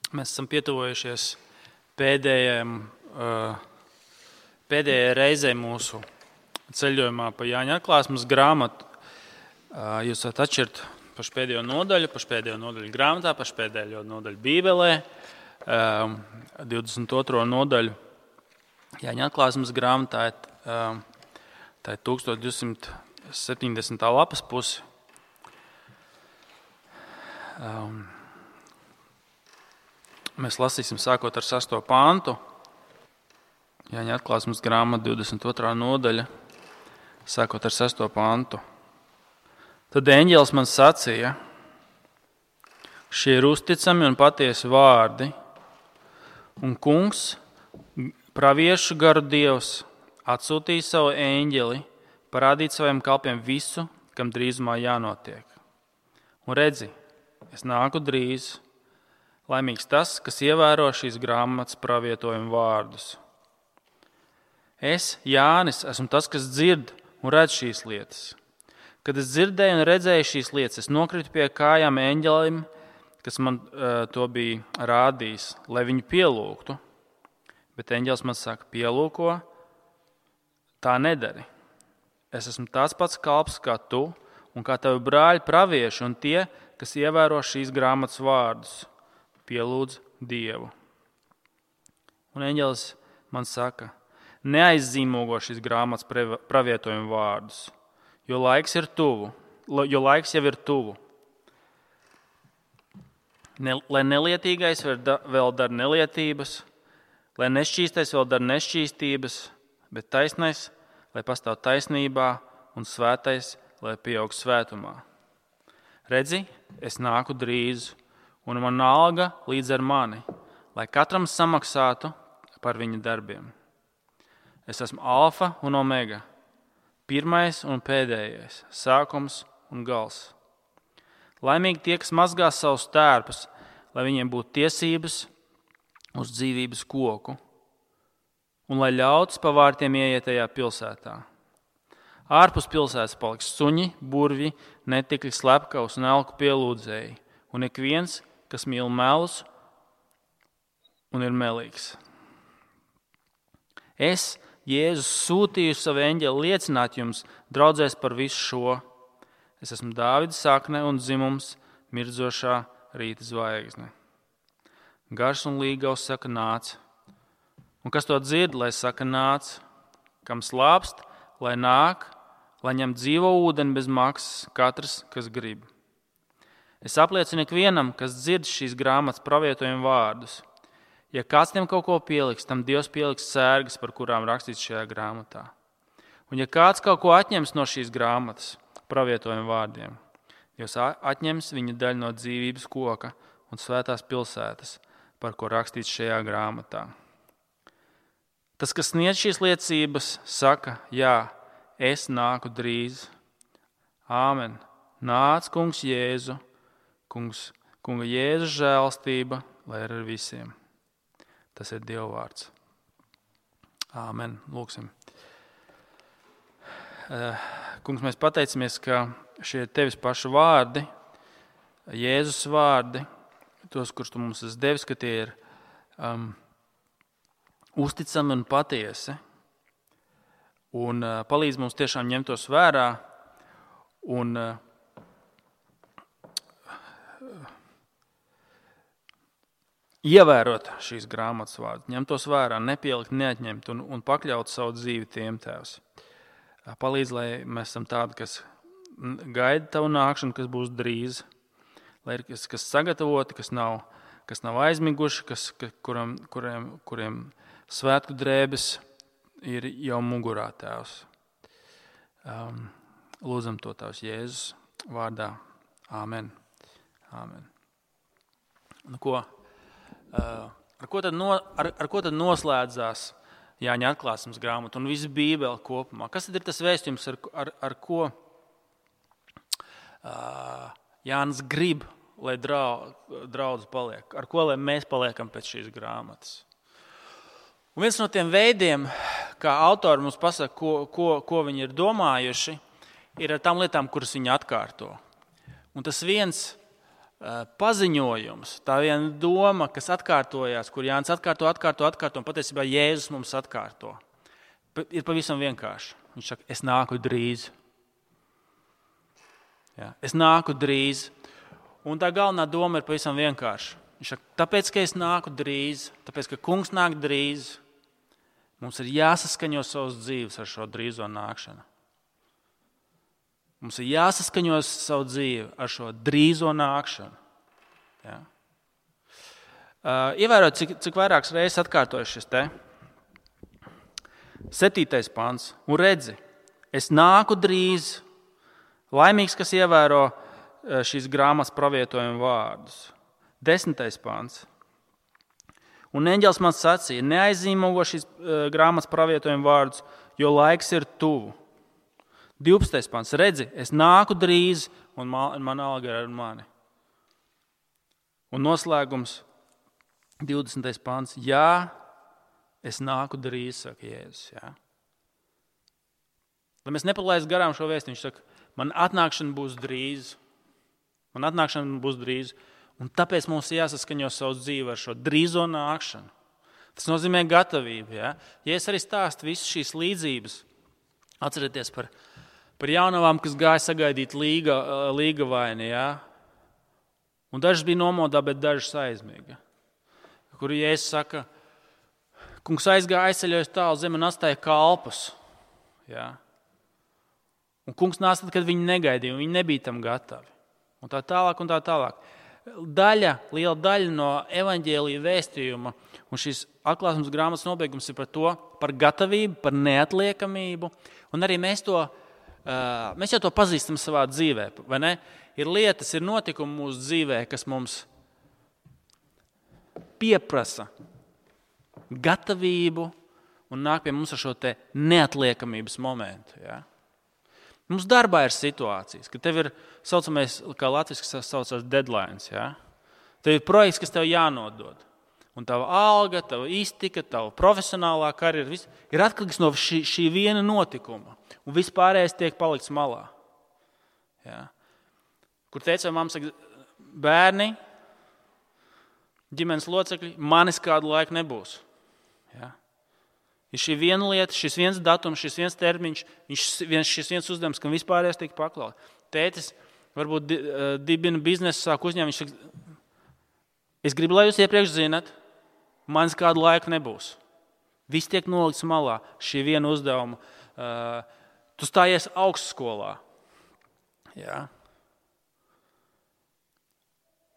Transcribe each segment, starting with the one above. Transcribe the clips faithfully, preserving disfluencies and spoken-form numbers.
Mēs esam pietuvojušies pēdējiem, pēdējai reizei mūsu ceļojumā pa Jāņa atklāsmes grāmatu. Jūs varat atšķirt pašu pēdējo nodaļu, pašu pēdējo nodaļu grāmatā, pašu pēdējo nodaļu Bībelē, divdesmit otro nodaļu Jāņa atklāsmes grāmatā, tā ir tūkstoš divsimt septiņdesmitā lapas pusi. Mēs lasīsim sākot ar sesto pantu, Jāņa atklāsmes grāmata divdesmit otrā nodaļa, sākot ar sesto pantu. Tad eņģelis man sacīja, šie ir uzticami un patiesi vārdi, un kungs, praviešu garu dievs, atsūtīja savu eņģeli, parādīt saviem kalpiem visu, kam drīzumā jānotiek. Un redzi, es nāku drīz. Laimīgs tas, kas ievēro šīs grāmatas pravietojumu vārdus. Es, Jānis, esmu tas, kas dzird un redz šīs lietas. Kad es dzirdēju un redzēju šīs lietas, es nokritu pie kājām eņģelim, kas man uh, to bija rādījis, lai viņu pielūgtu. Bet eņģelis man saka, pielūko, tā nedari. Es esmu tāds pats kalps kā tu un kā tavi brāļi pravieši un tie, kas ievēro šīs grāmatas vārdus. Pielūdz Dievu. Un eņģelis man saka, neaizzīmogo šīs grāmatas pravietojumu vārdus, jo laiks ir tuvu, jo laiks jau ir tuvu. Ne, lai nelietīgais vēl dara nelietības, lai nešķīstais vēl dara nešķīstības, bet taisnais, lai pastāv taisnībā un svētais, lai pieaug svētumā. Redzi, es nāku drīz, un man alga līdz ar mani, lai katram samaksātu par viņa darbiem. Es esmu alfa un omega, pirmais un pēdējais, sākums un gals. Laimīgi tie, kas mazgās savus tērpus, lai viņiem būtu tiesības uz dzīvības koku, un lai ļauts pa vārtiem ieiet tajā pilsētā. Ārpus pilsētas paliks suņi, burvi, netikļi, slepkavs un elku pielūdzēji, un ik viens, kas mīl melus un ir melīgs. Es, Jēzus, sūtīju savu eņģeli liecināt jums, draudzēs par visu šo. Es esmu Dāvida sakne un dzimums, mirdzošā rīta zvaigzne. Gars un līgavs saka nāc, un kas to dzird, lai saka nāc, kam slāpst, lai nāk, lai ņem dzīvo ūdeni bez maksas, katrs, kas grib. Es apliecinu ikvienam, kas dzird šīs grāmatas pravietojumu vārdus. Ja kāds tiem kaut ko pieliks, tam Dievs pieliks sērgas, par kurām rakstīts šajā grāmatā. Un ja kāds kaut ko atņems no šīs grāmatas pravietojumu vārdiem, Dievs atņems viņa daļu no dzīvības koka un svētās pilsētas, par ko rakstīts šajā grāmatā. Tas, kas sniedz šīs liecības, saka, jā, es nāku drīz. Āmen. Nāc, kungs Jēzu. Kungs, kunga Jēzus žēlstība, lai ir ar visiem. Tas ir Dieva vārds. Āmen. Lūksim. Kungs, mēs pateicamies, ka šie ir tevis paši vārdi, Jēzus vārdi, tos, kurus tu mums esi devis, ka tie ir um, uzticami un patiesi. Un uh, palīdz mums tiešām ņemt tos vērā un uh, ievērot šīs grāmatas vārdus, ņemt tos vērā, nepielikt, neatņemt un, un pakļaut savu dzīvi tiem, Tēvs. Palīdz, lai mēs esam tādi, kas gaida tavu nākšanu, kas būs drīz, lai ir kas, kas sagatavoti, kas nav, kas nav aizmiguši, kas, kuram, kuriem, kuriem svētku drēbes ir jau mugurā, Tēvs. Um, lūdzam to Tavs Jēzus vārdā. Āmen. Āmen. Nu ko? Uh, ar, ko tad no, ar, ar ko tad noslēdzās Jāņa atklāsmes grāmata un visa Bībele kopumā? Kas tad ir tas vēstījums, ar, ar, ar ko uh, Jānis grib, lai draudz paliek? Ar ko lai mēs paliekam pēc šīs grāmatas? Un viens no tiem veidiem, kā autori mums pasaka, ko, ko, ko viņi ir domājuši, ir ar tām lietām, kuras viņi atkārto. Un tas viens paziņojums, tā viena doma, kas atkārtojās, kur Jānis atkārto, atkārto, atkārto, un patiesībā Jēzus mums atkārto. Ir pavisam vienkārši. Viņš saka, es nāku drīz. Jā, es nāku drīz. Un tā galvenā doma ir pavisam vienkārši. Viņš saka, tāpēc, ka es nāku drīz, tāpēc, ka kungs nāk drīz, mums ir jāsaskaņo savas dzīves ar šo drīzo nākšanu. Mums ir jāsaskaņo savu dzīvi ar šo drīzo nākšanu. Ja? Uh, ievērot, cik, cik vairākas reizes atkārtojas šis te. Septītais pants. Un redzi, es nāku drīz, laimīgs, kas ievēro šīs grāmatas pravietojumu vārdus. Desmitais pants. Un eņģelis man sacīja, neaizīmogo šīs uh, grāmatas pravietojumu vārdus, jo laiks ir tuvu. divpadsmitais pants. Redzi, es nāku drīz, un man alga ir ar mani. Un noslēgums, divdesmitais pants. Jā, es nāku drīz, saka Jēzus. Jā. Lai mēs nepalaistu garām šo vēstu, viņš saka, man atnākšana būs drīz. Man atnākšana būs drīz. Un tāpēc mums jāsaskaņo savu dzīvi ar šo drīzo nākšanu. Tas nozīmē gatavību. Jā. Ja es arī stāstu visas šīs līdzības, atcerieties par Par jaunavām, kas gāja sagaidīt līga, līga vaini, jā. Un dažas bija nomodā, bet dažas aizmiega. Kur Jēzus saka, kungs aizgāja aizceļojas tālu zemi un atstāja kalpus. Jā. Un kungs nāca tad, kad viņi negaidīja, un viņi nebija tam gatavi. Un tā tālāk, un tā tālāk. Daļa, liela daļa no evaņģēlija vēstījuma un šīs atklāsmes grāmatas nobeigums ir par to, par gatavību, par neatliekamību. Un arī mēs to Uh, mēs jau to pazīstam savā dzīvē, vai ne? Ir lietas, ir notikumi mūsu dzīvē, kas mums pieprasa gatavību un nāk pie mums ar šo te neatliekamības momentu. Ja? Mums darbā ir situācijas, ka tev ir saucamais, kā latviski saucās deadlines. Ja? Tev ir projekts, kas tev jānodod. Un tava alga, tava iztika, tava profesionālā karjera ir atkarīgs no šī, šī viena notikuma. Un vispārējais tiek palikts malā. Ja. Kur teica, mamma saka, bērni, ģimenes locekļi, manis kādu laiku nebūs. Ja. Ir šī viena lieta, šis viens datums, šis viens termiņš, viens, šis viens uzdevums, kam vispārējais tiek paklaut. Tētis varbūt dibina biznesu, sāk uzņēmumu, viņš saka, es gribu, lai jūs iepriekš zinat, manis kādu laiku nebūs. Viss tiek nolikts malā, šī viena uzdevuma. Uh, tu stājies augstskolā. Jā.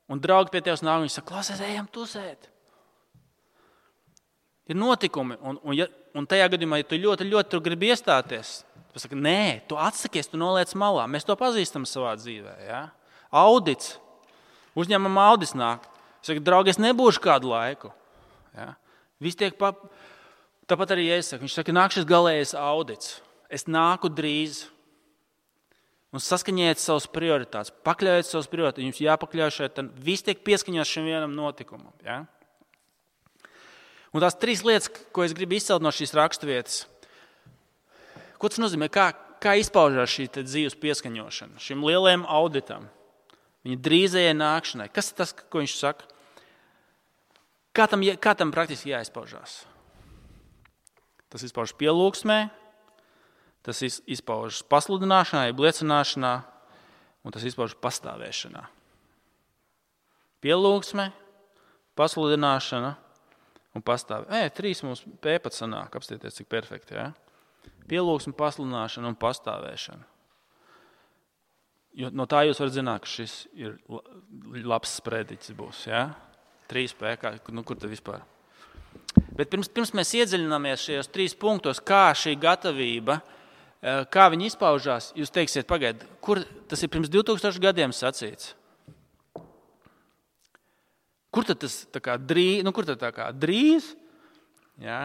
Un draugi pie tevis nāk, viņi saka, klausies, ejam tusēt. Ir notikumi, un, un, ja, un tajā gadījumā, ja tu ļoti, ļoti tur gribi iestāties, tu saka, nē, tu atsakies, tu noliec malā. Mēs to pazīstam savā dzīvē. Jā. Audits. Uzņēmuma audits nāk. Saka, draugi, es nebūšu kādu laiku. Jā. Viss tiek pa... Tāpat arī es saku, viņš saka, nāk šis galējais audits. Es nāku drīz. Un saskaņiet savas prioritātes. Pakļaujiet savas prioritātes. Jums jāpakļauj šeit. Viss tiek pieskaņots šim vienam notikumam. Ja? Un tās trīs lietas, ko es gribu izcelt no šīs raksturvietas. Ko tas nozīmē? Kā, kā izpaužās šī dzīves pieskaņošana? Šim lielajam auditam. Viņa drīzajai nākšanai. Kas ir tas, ko viņš saka? Kā tam, kā tam praktiski jāizpaužās? Tas izpaužas pielūgsmē. Tas izpaužas pasludināšanā, liecināšanā, un tas izpaužas pastāvēšanā. Pielūgsme, pasludināšana un pastāvēšana. Ē, trīs mums pēpat sanāk, apstieties, cik perfekti. Ja? Pielūgsme, pasludināšana un pastāvēšana. Jo no tā jūs varat zināt, ka šis ir labs sprediķis būs. Ja? Trīs pēkā, nu kur te vispār? Bet pirms, pirms mēs iedziļināmies šajos trīs punktos, kā šī gatavība, kā viņi izpaužās, jūs teiksiet, pagaid, kur tas ir pirms divtūkstoši gadiem sacīts? Kur tad tas tā kā drīz, nu kur tad tā kā drīz? Jā.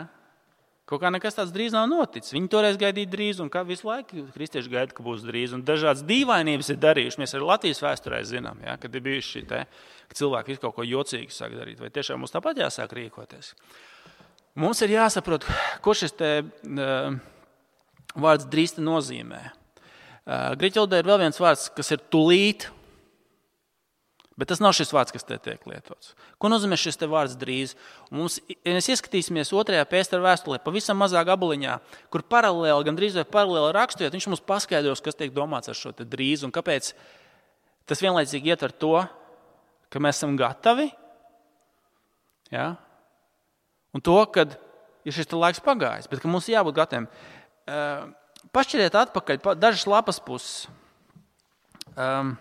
Kaut kā nekas tāds drīz nav noticis. Viņi toreiz gaidīja drīz, un kā visu laiku kristieši gaida, ka būs drīz. Un dažādas dīvainības ir darījuši. Mēs arī Latvijas vēsturē zinām, ja, kad ir bijuši šī te, ka cilvēki visu kaut ko jocīgi sāk darīt. Vai tiešām mums tāpat jāsāk rīkoties? Mums ir jāsaprot, ko šis te... Uh, vārds drīz te nozīmē. Grieķu valodā ir vēl viens vārds, kas ir tulīt. Bet tas nav šis vārds, kas te tiek lietots. Ko nozīmē šis te vārds drīz? Un mums, ja mēs ieskatīsimies otrajā Pētera vēstulē, pavisam mazā gabaliņā, kur paralēli, gan drīz vai paralēli rakstojot, viņš mums paskaidros, kas tiek domāts ar šo te drīz un kāpēc tas vienlaicīgi ietver to, ka mēs esam gatavi, ja? Un to, kad ir šis te laiks pagājis, bet ka mums jābūt gataviem. Uh, pašķiriet atpakaļ dažas lapas puses. Um,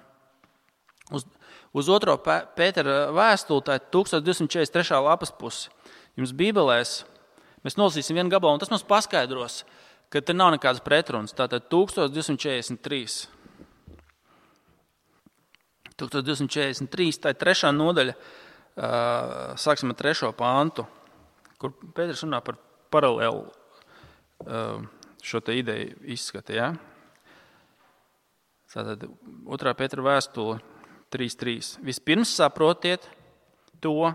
uz, uz otro Pētera vēstuli, tā ir tūkstoš divsimt četrdesmit trešā lapas puse. Jums Bībelēs mēs nolasīsim vienu gabalu, un tas mums paskaidros, ka te nav nekādas pretrunas. Tātad tūkstoš divsimt četrdesmit trīs. tūkstoš divsimt četrdesmit trīs, tā ir trešā nodaļa, uh, sāksim ar trešo pāntu, kur Pēters runā par paralēlu uh, šo te ideju izskata, ja? Tātad otrā Pētera vēstule trīs trīs. Vispirms saprotiet to,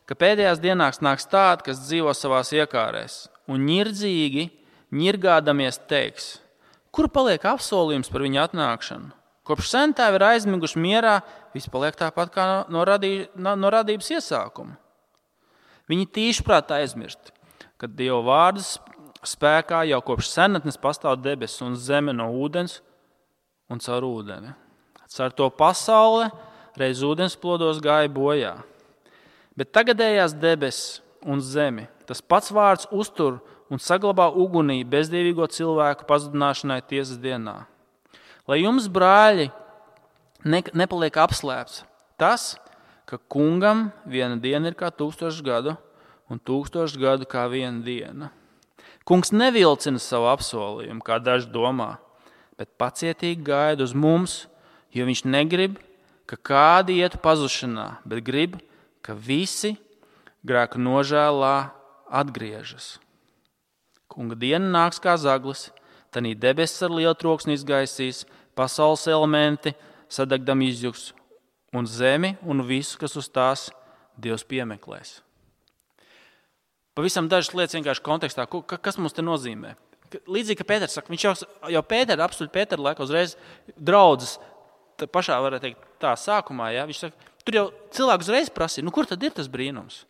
ka pēdējās dienās nāks tādi, kas dzīvo savās iekārēs un ņirdzīgi, ņirgādamies teiks, kur paliek apsolījums par viņa atnākšanu? Kopš sentēvi ir aizmiguši mierā, viss paliek tāpat kā no, radī, no radības iesākuma. Viņi tīšprāt aizmirst, ka Dieva vārdas spēkā jau kopš senatnes pastāv debesis un zeme no ūdens un caur ūdeni. Caur to pasaule reiz ūdens plodos gāja bojā. Bet tagadējās debesis un zemi, tas pats vārds uztur un saglabā ugunī bezdievīgo cilvēku pazudināšanai tiesas dienā. Lai jums, brāļi, ne, nepaliek apslēpts tas, ka kungam viena diena ir kā tūkstošs gadu un tūkstošs gadu kā viena diena. Kungs nevilcina savu apsolījumu, kā daži domā, bet pacietīgi gaida uz mums, jo viņš negrib, ka kādi ietu pazušanā, bet grib, ka visi grēku nožēlā atgriežas. Kunga diena nāks kā zaglis, tanī debesis ar lielu troksni izgaisīs, pasaules elementi sadegdam izjuks, un zemi un visu, kas uz tās Dievs piemeklēs. Pavisam dažas lietas vienkārši kontekstā, kas mums te nozīmē. Līdzīgi, ka Pēters saka, viņš jau, jau Pētera, absolūti Pētera laika uzreiz draudzes, pašā varētu teikt tā sākumā, ja, viņš saka, tur jau cilvēku uzreiz prasīja, nu kur tad ir tas brīnums?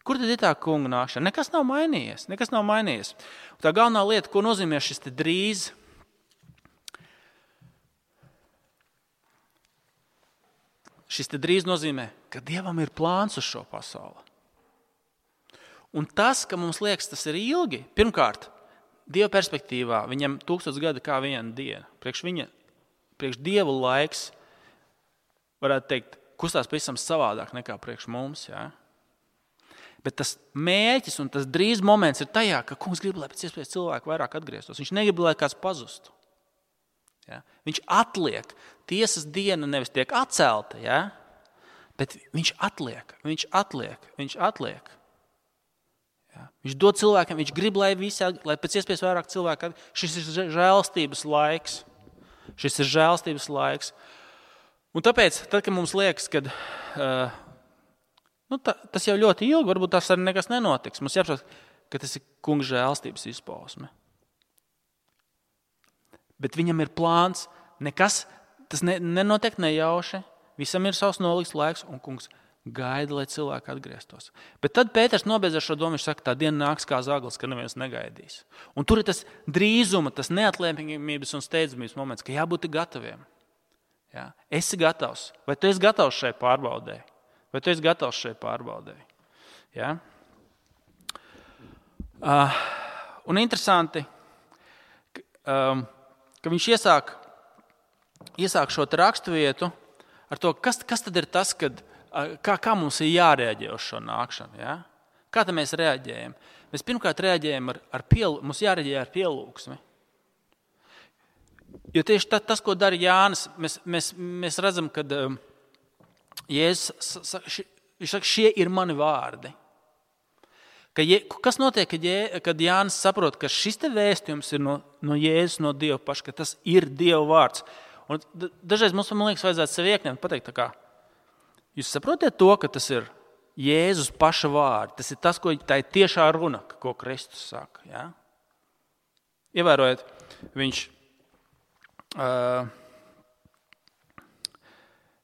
Kur tad ir tā kunga nākšana? Nekas nav mainījies, nekas nav mainījies. Un tā galvenā lieta, ko nozīmē šis te drīz, šis te drīz nozīmē, ka Dievam ir plāns uz šo pasauli. Un tas, ka mums liekas, tas ir ilgi, pirmkārt, Dieva perspektīvā viņam tūkstots gadi kā viena diena. Priekš viņa, priekš Dievu laiks, varētu teikt, kustās pavisam savādāk nekā priekš mums, jā. Bet tas mērķis un tas drīz moments ir tajā, ka kungs grib, lai pēc iespējas cilvēku vairāk atgrieztos. Viņš negrib, lai kāds pazustu. Ja? Viņš atliek. Tiesas diena nevis tiek atcelta, ja? Bet viņš atliek, viņš atliek, viņš atliek. Ja? Viņš dod cilvēkiem, viņš grib, lai, visi, lai pēc iespējas vairāk cilvēku atgrieztos. Šis ir žēlstības laiks. Šis ir žēlstības laiks. Un tāpēc, tad, kad mums liekas, kad... Uh, Nu, tā, tas jau ļoti ilgi, varbūt tas arī nekas nenotiks. Mums jāapsaka, ka tas ir kunga žēlstības izpausme. Bet viņam ir plāns, nekas, tas ne, nenotiek nejauši, visam ir savs nolikts laiks, un kungs gaida, lai cilvēki atgrieztos. Bet tad Pēters nobeidz ar šo domu, viņš saka, tā diena nāks kā zaglis, ka neviens negaidīs. Un tur ir tas drīzuma, tas neatliepamības un steidzamības moments, ka jābūt gataviem. Jā. Esi gatavs, vai tu esi gatavs šai pārbaudē? Vai tu esi gatavs šai pārbaudē? Ja? Uh, un interesanti, ka, um, ka viņš iesāk, iesāk šo raksturvietu ar to, kas, kas tad ir tas, kad, uh, kā, kā mums ir jārēģē uz šo nākšanu. Ja? Kā tad mēs reaģējam? Mēs pirmkārt reaģējam ar, ar piel, mums jārēģē ar pielūgsmi. Jo tieši tas, tas ko dara Jānis, mēs, mēs, mēs redzam, kad... Um, Jēzus, viņš saka, šie ir mani vārdi. Ka je, kas notiek, kad, je, kad Jānis saprot, ka šis te vēstījums ir no, no Jēzus, no Dieva paša, ka tas ir Dieva vārds. Un dažreiz mums, man liekas, vajadzētu sev iekņemt, pateikt tā kā, jūs saprotiet to, ka tas ir Jēzus paša vārdi. Tas ir tas, ko tā ir tiešā runa, ko Kristus saka. Ja? Ievērojiet, viņš... Uh,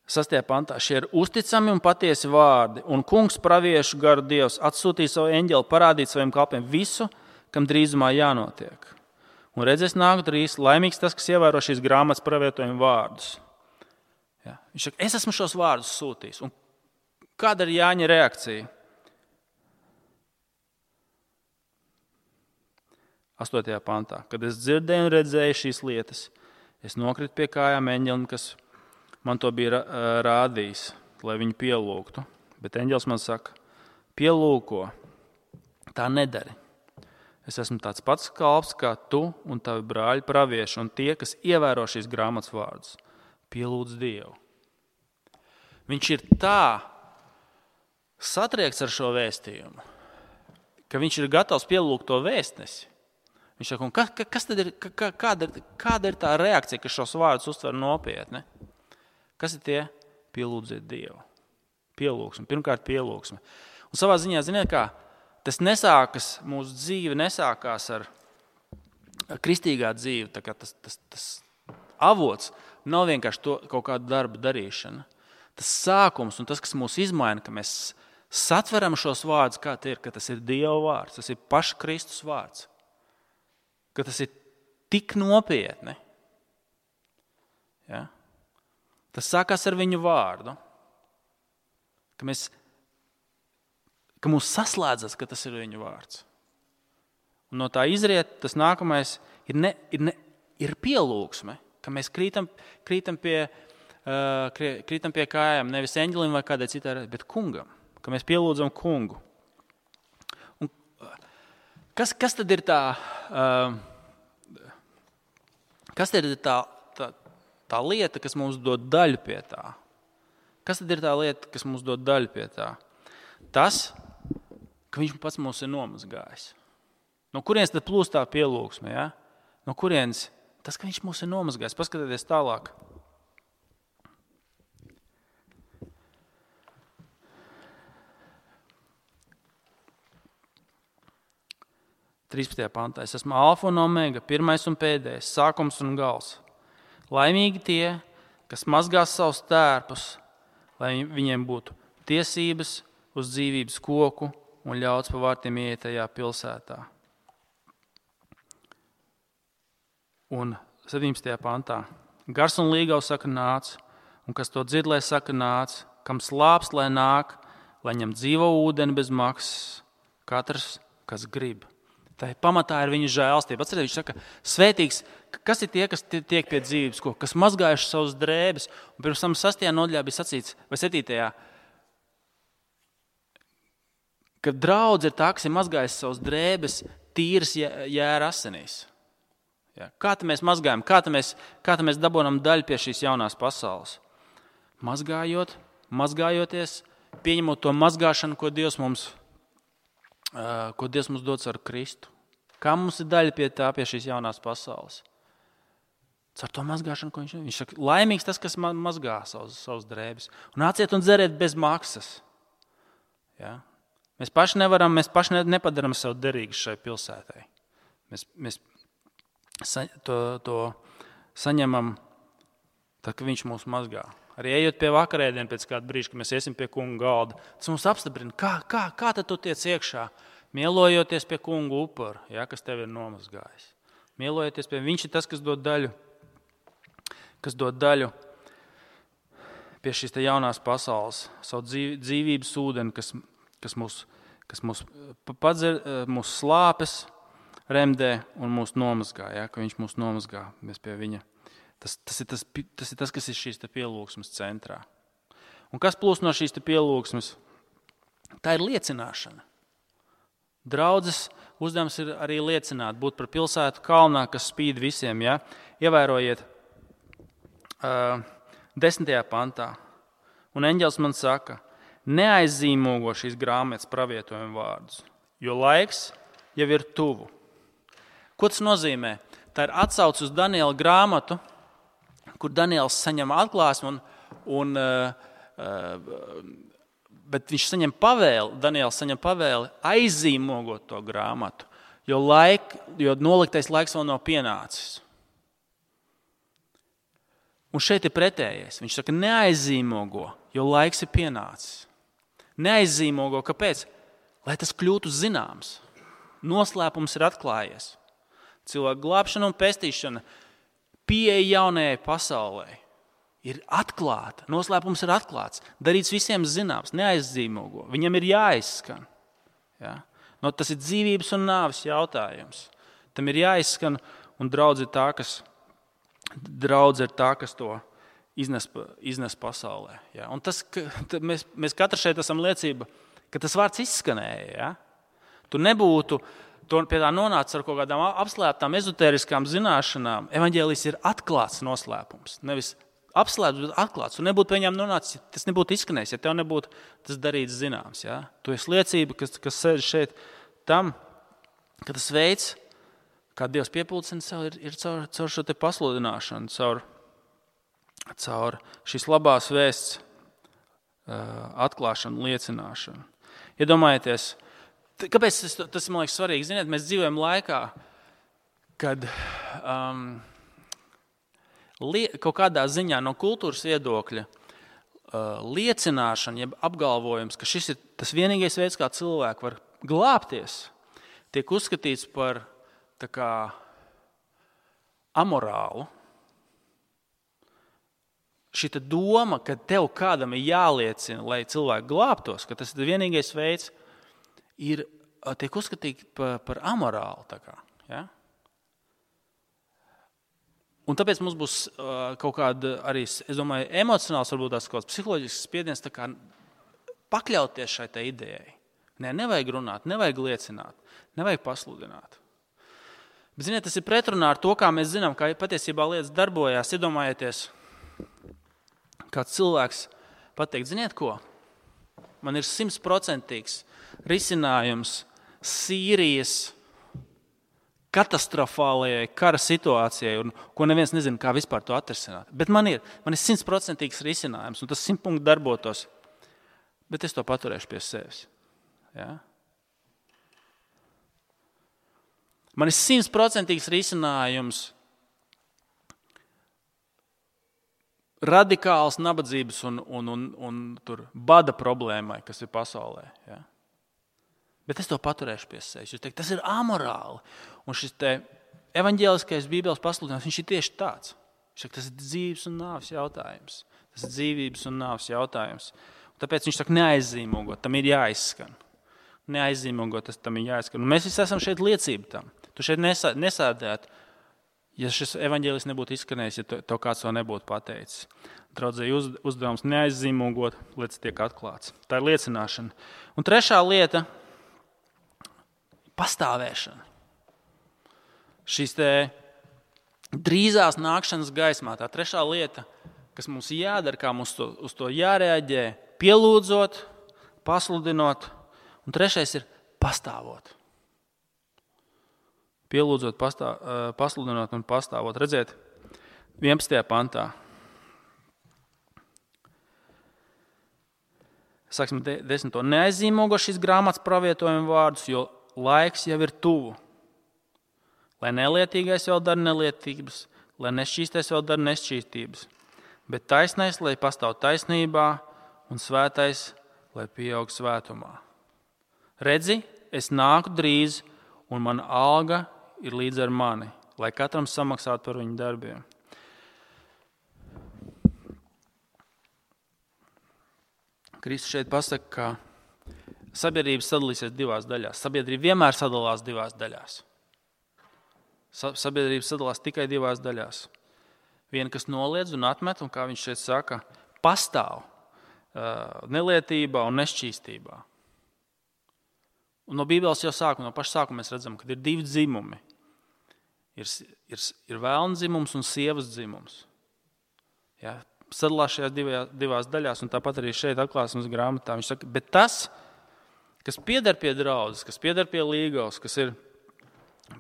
Sastajā pantā šie ir uzticami un patiesi vārdi, un kungs praviešu garu Dievs atsūtīja savu eņģeli parādīt saviem kalpiem visu, kam drīzumā jānotiek. Un redzēs nāku drīz, laimīgs tas, kas ievēro šīs grāmatas pravietojumu vārdus. Ja. Viņš saka, es esmu šos vārdus sūtījis. Un kāda ir Jāņa reakcija? Astotajā pantā. Kad es dzirdēju un redzēju šīs lietas, es nokritu pie kājām eņģelim, kas man to bija rādījis, lai viņu pielūgtu. Bet eņģelis man saka, pielūko, tā nedari. Es esmu tāds pats kalps kā tu un tavi brāļi pravieši un tie, kas ievēro šīs grāmatas vārdus. Pielūdz Dievu. Viņš ir tā satriekts ar šo vēstījumu, ka viņš ir gatavs pielūgt to vēstnesi. Viņš saka, ka, ka, kas tad ir, ka, kāda, ir, kāda ir tā reakcija, ka šos vārdus uztver nopietni? Kas ir tie? Pielūdziet Dievu. Pielūgsme. Pirmkārt, pielūgsme. Un savā ziņā, ziniet kā, tas nesākas, mūsu dzīve nesākās ar kristīgā dzīve. Tā kā tas, tas, tas avots nav vienkārši to kaut kādu darbu darīšana. Tas sākums un tas, kas mūs izmaina, ka mēs satveram šos vārdus, kā tie ir, ka tas ir Dieva vārds, tas ir paša Kristus vārds. Ka tas ir tik nopietni. Ja? Tas sākās ar viņu vārdu. Ka, mēs, ka mūs saslēdzas, ka tas ir viņu vārds. Un no tā izriet, tas nākamais ir, ne, ir, ne, ir pielūgsme. Ka mēs krītam, krītam, pie, uh, krītam pie kājām nevis eņģelim vai kādai citai, bet kungam. Ka mēs pielūdzam kungu. Un kas, kas tad ir tā, uh, kas tad ir tā, tā, tā lieta, kas mums dod daļu pie tā? Kas tad ir tā lieta, kas mums dod daļu pie tā? Tas, ka viņš pats mūs ir nomazgājis. No kurienes tad plūst tā pielūgsme? Ja? No kurienes? Tas, ka viņš mūs ir nomazgājis. Paskatieties tālāk. trīspadsmitajā pantā. Es esmu alfa un omega, pirmais un pēdējais, sākums un gals. Laimīgi tie, kas mazgās savus tērpus, lai viņiem būtu tiesības uz dzīvības koku un ļauts pa vārtiem ieiet tajā pilsētā. Un septiņpadsmitajā pantā. Gars un līgavs saka nāc, un kas to dzird, lai saka nāc, kam slāpst, lai nāk, lai ņem dzīvo ūdeni bez maksas, katrs, kas grib. Tā pamatā ir viņa žēlstība. Atcerieties, viņš saka, svētīgs, kas ir tie, kas tiek pie dzīvības koka, kas mazgājuši savus drēbes, un pirms tam sastajā nodaļā bija sacīts, vai septītajā, ka draudz ir tā, kas ir mazgājis savus drēbes tīras jēra asinīs. Ja, kā tā mēs mazgājam, kā tā mēs, kā tā mēs dabonam daļu pie šīs jaunās pasaules? Mazgājot, mazgājoties, pieņemot to mazgāšanu, ko Dievs mums, uh, ko Dievs mums dots ar Kristu. Kā mums ir daļa pie tā, pie šīs jaunās pasaules? Ar to mazgāšanu, ko viņš, viņš saka, laimīgs tas, kas mazgā savus, savus drēbes. Un nāciet un dzeriet bez maksas. Ja? Mēs paši nevaram, mēs paši nepadaram sev derīgus šai pilsētai. Mēs, mēs To, to saņemam, tad, kad viņš mūs mazgā. Arī ejot pie vakarēdienu pēc kāda brīža, kad mēs iesim pie kunga galda, tas mums apstiprina, kā, kā, kā tad tu tiec iekšā, mielojoties pie kunga upura, ja, kas tev ir nomazgājis. Mielojoties pie viņš ir tas, kas dod daļu, kas dod daļu pie šīs te jaunās pasaules, savu dzīv, dzīvības ūdeni, kas, kas mūs, kas mūs padzer, mūs slāpes, remdē un mūs nomazgā, ja, ka viņš mūs nomazgā, mēs pie viņa. Tas, tas, ir tas, tas ir tas, kas ir šīs te pielūgsmes centrā. Un kas plūst no šīs te pielūgsmes? Tā ir liecināšana. Draudzes uzdevums ir arī liecināt, būt par pilsētu kalnā, kas spīd visiem. Ja. Ievērojiet uh, desmitajā pantā. Un eņģelis man saka, neaizzīmogo šīs grāmatas pravietojumu vārdus, jo laiks jau ir tuvu. Ko tas nozīmē? Tā ir atsauce uz Daniela grāmatu, kur Daniels saņem atklāsmi, un, un, uh, bet viņš saņem pavēli, Daniels saņem pavēli aizīmogot to grāmatu, jo, laik, jo noliktais laiks vēl nav pienācis. Un šeit ir pretējais. Viņš saka, neaizzīmogo, jo laiks ir pienācis. Neaizzīmogo, kāpēc? Lai tas kļūtu zināms. Noslēpums ir atklājies. Cilvēku glābšana un pestīšana, pieeja jaunajai pasaulē ir atklāta. Noslēpums ir atklāts. Darīts visiem zināms, neaizzīmogo. Viņam ir jāizskan. Ja? No, tas ir dzīvības un nāves jautājums. Tam ir jāizskan, un draudz ir tā, kas, draudz ir tā, kas to iznes, iznes pasaulē. Ja? Un tas, ka, mēs, mēs katrs šeit esam liecība, ka tas vārds izskanēja. Ja? Tu nebūtu tu pie tā nonācis ar kaut kādām apslēptām, ezotēriskām zināšanām. Evaņģēlijs ir atklāts noslēpums. Nevis apslēpts, bet atklāts. Un nebūtu pie viņām nonācis, tas nebūtu izskanējis, ja tev nebūtu tas darīts zināms. Ja? Tu esi liecība, kas, kas sēž šeit tam, ka tas veids, kā Dievs piepildina sev, ir, ir caur, caur šo te pasludināšanu, caur, caur šīs labās vēsts uh, atklāšanu, liecināšanu. Iedomājieties, kāpēc tas, tas man liekas svarīgi? Ziniet, mēs dzīvojam laikā, kad um, lie, kaut kādā ziņā no kultūras viedokļa uh, liecināšana, jeb apgalvojums, ka šis ir tas vienīgais veids, kā cilvēki var glābties, tiek uzskatīts par tā kā amorālu. Šita doma, ka tev kādam ir jāliecina, lai cilvēki glābtos, ka tas ir vienīgais veids, ir, tiek uzskatīti par, par amorālu. Tā kā, ja? Un tāpēc mums būs uh, kaut kāda arī, es domāju, emocionāls, varbūt tās kaut kāds psiholoģisks spiediens tā kā pakļauties šai tai idejai. Nē, nevajag runāt, nevajag liecināt, nevajag pasludināt. Bet, ziniet, tas ir pretrunā ar to, kā mēs zinām, kā patiesībā lietas darbojās. Iedomājieties, kāds cilvēks pateikt, ziniet ko? Man ir simtprocentīgs risinājums Sīrijas katastrofālajai kara situācijai, un ko neviens nezina, kā vispār to atrisināt. Bet man ir, man ir simtprocentīgs risinājums, un tas simt punktu darbotos, bet es to paturēšu pie sevis. Ja? Man ir simtprocentīgs risinājums radikāls nabadzības un, un, un, un tur bada problēmai, kas ir pasaulē. Ja? Bet es to paturēšu pie sevis. Jūs teikt, tas ir amorāli. Un šis te evaņģēliskais Bībeles pasludinājums, viņš ir tieši tāds. Viņš saka, tas ir dzīvības un nāves jautājums. Tas ir dzīvības un nāves jautājums. Un tāpēc viņš saka, neaizzīmogot, tam ir jāizskan. Neaizzīmogot, tas tam ir jāizskan. Un mēs visi esam šeit liecība tam. Tu šeit nesā, nesādētu, ja šis evaņģēlis nebūtu izskanējis, ja to, to kāds to nebūtu pateicis. Draudzēji uz, uzdevums neaizzīmogot, lietas tiek atklāts. Tā ir liecināšana. Un trešā lieta – pastāvēšana. Šīs te drīzās nākšanas gaismā, tā trešā lieta, kas mums jādara, kā mums to, uz to jārēģē, pielūdzot, pasludinot, un trešais ir pastāvot. Pielūdzot, pastā, pasludinot un pastāvot. Redziet, vienpadsmitajā pantā. Sāksim desmito. Neaizzīmogo šīs grāmatas pravietojuma vārdus, jo laiks jau ir tuvu. Lai nelietīgais vēl dara nelietības, lai nešķīstais vēl dara nešķīstības, bet taisnais, lai pastāv taisnībā, un svētais, lai pieaug svētumā. Redzi, es nāku drīz, un mana alga ir līdz ar mani, lai katram samaksātu par viņu darbiem. Kristus šeit pasaka, ka sabiedrība sadalīsies divās daļās. Sabiedrība vienmēr sadalās divās daļās. Sabiedrība sadalās tikai divās daļās. Viena, kas noliedz un atmet, un kā viņš šeit saka, pastāv nelietībā un nešķīstībā. Un no Bībeles jau sākuma, no paša sākuma mēs redzam, ka ir divi dzimumi. Ir, ir, ir vēlna dzimums un sievas dzimums. Ja, sadalās šajās divās, divās daļās, un tāpat arī šeit atklāsmes grāmatā. Viņš saka, bet tas, kas pieder pie draudzes, kas pieder pie līgavas, kas ir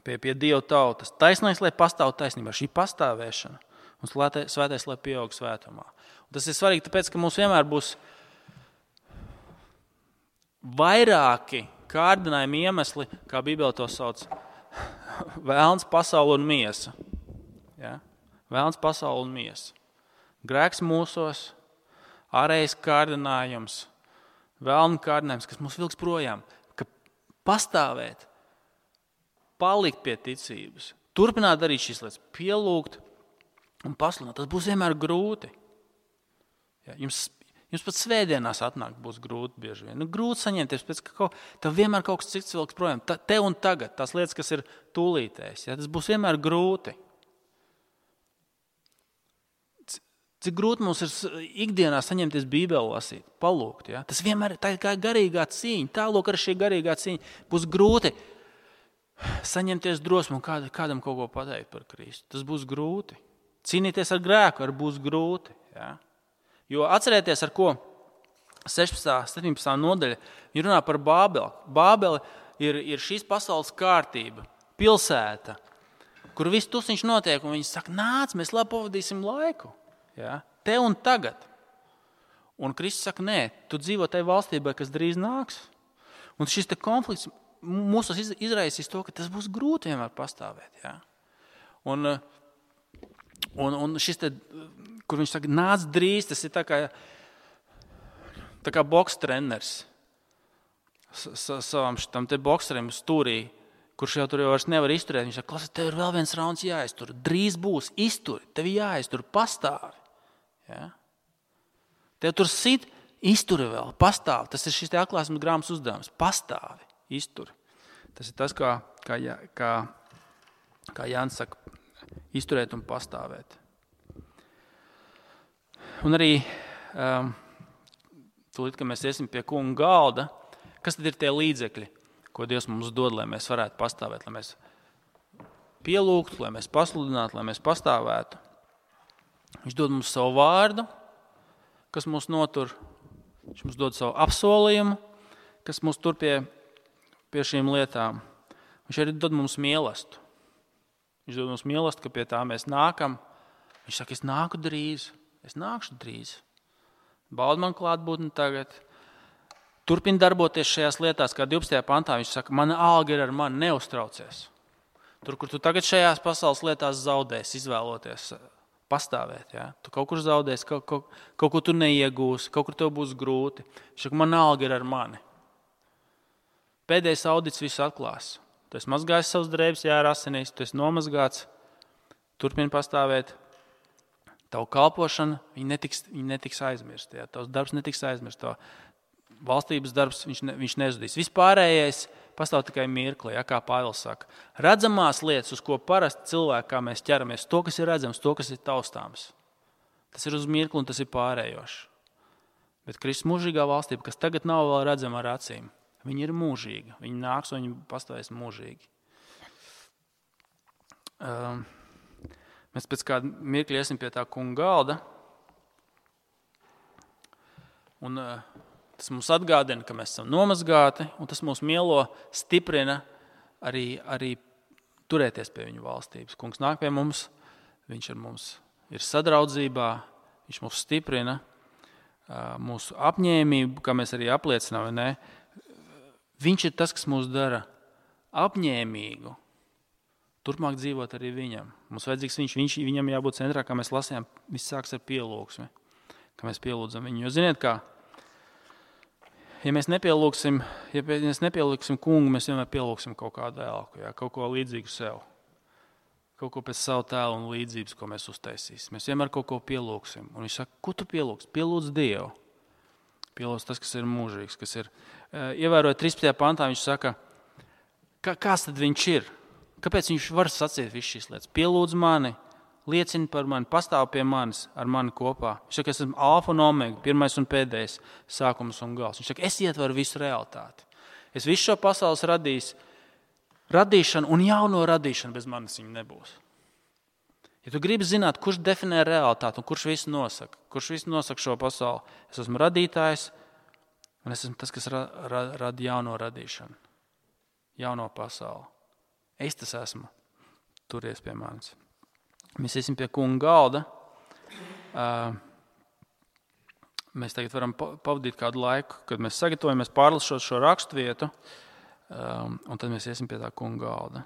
pie, pie Dieva tautas, taisnais, lai pastāv taisnībā, šī pastāvēšana, un svētais, lai pieaug svētumā. Un tas ir svarīgi, tāpēc, ka mums vienmēr būs vairāki kārdinājumi iemesli, kā Bībele to sauc, vēlns, pasaule un miesa. Ja? Vēlns, pasaule un miesa. grēks mūsos, ārējais kārdinājums, vēlna kārdinājums, kas mūs vilks projām, ka pastāvēt, palikt pie ticības, turpināt darīt šīs lietas, pielūgt un pasludināt. Tas būs vienmēr grūti. Ja, jums, jums pat svētdienās atnākt būs grūti bieži vien. Nu, grūti saņemties, pēc ka kaut, tev vienmēr kaut kas cits vilks projām. Ta, te un tagad, tās lietas, kas ir tūlītēs, ja, tas būs vienmēr grūti. Cik grūti mums ir ikdienā saņemties Bībeli lasīt, palūgt. Ja? Tas vienmēr tā ir kā garīgā cīņa. Tālūk ar šī garīgā cīņa. Būs grūti saņemties drosmu un kād, kādam kaut ko pateikt par Kristu. Tas būs grūti. Cīnīties ar grēku ar būs grūti. Ja? Jo atcerieties, ar ko sešpadsmitā, septiņpadsmitā nodaļa, viņi runā par Bābeli. Bābeli ir, ir šīs pasaules kārtība, pilsēta, kur viss tusiņš notiek, un viņi saka, nāc, mēs labi pavadīsim laiku. Ja? Te un tagad. Un Kristus saka, nē, tu dzīvo tajā valstībā, kas drīz nāks. Un šis te konflikts mūsos izraisīs to, ka tas būs grūti vienmēr pastāvēt. Ja? Un, un, un šis te, kur viņš saka, nāc drīz, tas ir tā kā, tā kā boks treneris savam šitam te bokserim stūrī, kurš jau tur jau vairs nevar izturēt. Viņš saka, klasa, tev ir vēl viens rauns jāiztur. Drīz būs, izturi, tev jāiztur, pastāvi. Ja? Tev tur sit, izturi vēl, pastāvi. Tas ir šis te atklāsmes grāmatas uzdevums. Pastāvi, izturi. Tas ir tas, kā, kā, kā, kā Jānis saka, izturēt un pastāvēt. Un arī um, tūlīt, ka mēs iesim pie kunga galda, kas tad ir tie līdzekļi, ko Dievs mums dod, lai mēs varētu pastāvēt, lai mēs pielūgtu, lai mēs pasludinātu, lai mēs pastāvētu. Viņš dod mums savu vārdu, kas mūs notur. Viņš mums dod savu apsolījumu, kas mūs tur pie, pie šīm lietām. Viņš arī dod mums mielastu. Viņš dod mums mielastu, ka pie tā mēs nākam. Viņš saka, es nāku drīz, es nākšu drīz. Baudi man klātbūtni tagad. Turpin darboties šajās lietās, kā divpadsmitajā pantā. Viņš saka, mana alga ir ar mani, neuztraucies. Tur, kur tu tagad šajās pasaules lietās zaudēs, izvēloties pastāvēt. Ja? Tu kaut kur zaudēsi, kaut, kaut, kaut ko tu neiegūsi, kaut kur tev būs grūti. Viņš saka, mana alga ir ar mani. Pēdējais audits visu atklās. Tu esi mazgājis savus drēbes, jā, ar asinīs, tu esi nomazgāts, turpini pastāvēt. Tavu kalpošana, viņa netiks, viņa netiks aizmirst. Ja? Tavs darbs netiks aizmirst. Tavu valstības darbs, viņš, ne, viņš nezudīs. Vispārējais pastāv tikai mirkli, ja, kā Pāvils saka. Redzamās lietas, uz ko parasti cilvēki, kā mēs ķeramies, to, kas ir redzams, to, kas ir taustāms. Tas ir uz mirkli un tas ir pārējošs. Bet Kristus mūžīgā valstība, kas tagad nav vēl redzama ar acīm, viņa ir mūžīga. Viņa nāks un viņa pastāvēs mūžīgi. Um, mēs pēc kāda mirkļa iesim pie tā kunga galda. Un uh, tas mums atgādina, ka mēs esam nomazgāti, un tas mūs mielo, stiprina arī, arī turēties pie viņa valstības. Kungs nāk pie mums, viņš ar mums ir sadraudzībā, viņš mūs stiprina, mūsu apņēmību, kā mēs arī apliecinām, ne? Viņš ir tas, kas mūs dara apņēmīgu, turpmāk dzīvot arī viņam. Mums vajadzīgs viņš, viņš viņam jābūt centrā, kā mēs lasījām, viss sāks ar pielūgsmi, kā mēs pielūdzam viņu. Jo ziniet kā, ja mēs nepielūksim, ja mēs nepielūksim kungu, mēs vienmēr pielūksim kaut kādu elku, ja, kaut ko līdzīgu sev. Kaut ko pēc savu tēlu un līdzības, ko mēs uztaisīsim. Mēs vienmēr kaut ko pielūksim. Un viņš saka, ko tu pielūks? Pielūdz Dievu. Pielūdz tas, kas ir mūžīgs, kas ir. Ievērojot trīspadsmitajā pantā, viņš saka, kā, kāds tad viņš ir? Kāpēc viņš var sacīt visu šīs lietas? Pielūdz mani, liecina par mani, pastāv pie manis, ar mani kopā. Viņš saka, es esmu alfa un omega, pirmais un pēdējais, sākums un gals. Viņš saka, es ietveru visu realitāti. Es visu šo pasaules radīs, radīšanu un jauno radīšanu bez manis viņa nebūs. Ja tu gribi zināt, kurš definē realitāti un kurš visu nosaka, kurš visu nosaka šo pasauli, es esmu radītājs un es esmu tas, kas ra, ra, rada jauno radīšanu, jauno pasauli. Es tas esmu. Turies pie manis. Mēs iesim pie kunga galda. Mēs tagad varam pavadīt kādu laiku, kad mēs sagatavojamies pārlasot šo raksturvietu, un tad mēs iesim pie tā kunga galda.